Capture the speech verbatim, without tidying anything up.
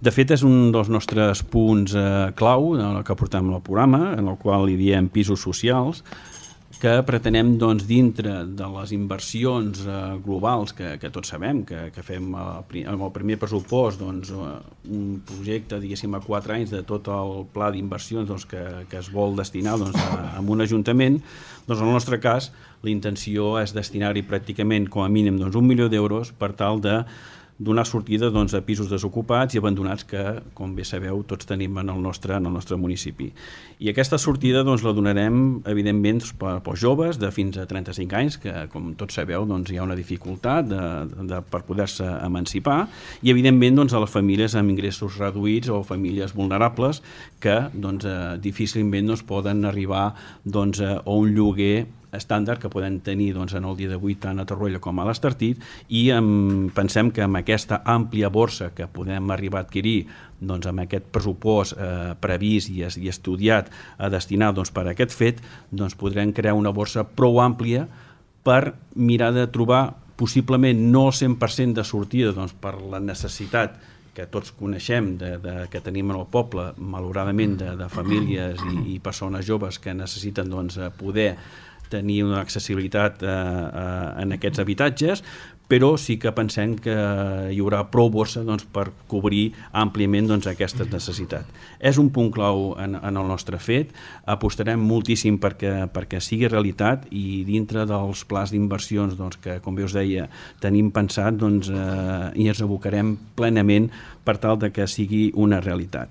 De fet, és un dels nostres punts eh, clau que portem al programa, en el qual hi diem pisos socials, que pretenem, doncs, dintre de les inversions eh, globals que, que tots sabem, que, que fem eh, amb el primer pressupost, doncs, eh, un projecte, diguéssim, a quatre anys de tot el pla d'inversions doncs, que, que es vol destinar doncs, a, a un ajuntament, doncs, en el nostre cas, la intenció és destinar-hi pràcticament, com a mínim, doncs, un milió d'euros per tal de donar sortida doncs, a pisos desocupats i abandonats que, com bé sabeu, tots tenim en el nostre, en el nostre municipi. I aquesta sortida doncs, la donarem, evidentment, per, pels joves de fins a trenta-cinc anys, que, com tots sabeu, doncs, hi ha una dificultat de, de, per poder-se emancipar, i, evidentment, doncs, a les famílies amb ingressos reduïts o famílies vulnerables que doncs, eh, difícilment doncs, poden arribar doncs, a un lloguer estàndard que podem tenir doncs, en el dia d'avui tant a Torroella com a l'Estartit, i em, pensem que amb aquesta àmplia borsa que podem arribar a adquirir doncs, amb aquest pressupost eh, previst i, i estudiat a destinar doncs, per a aquest fet, doncs, podrem crear una borsa prou àmplia per mirar de trobar possiblement no el cent per cent de sortida doncs, per la necessitat que tots coneixem de, de, que tenim en el poble, malauradament, de, de famílies i, i persones joves que necessiten doncs, poder tenir una accessibilitat eh, eh, en aquests habitatges, però sí que pensem que hi haurà prou borsa doncs, per cobrir àmpliament doncs, aquesta necessitat. És un punt clau en, en el nostre fet, apostarem moltíssim perquè, perquè sigui realitat i dintre dels plans d'inversions doncs, que, com bé us deia, tenim pensat doncs, eh, i ens abocarem plenament per tal de que sigui una realitat.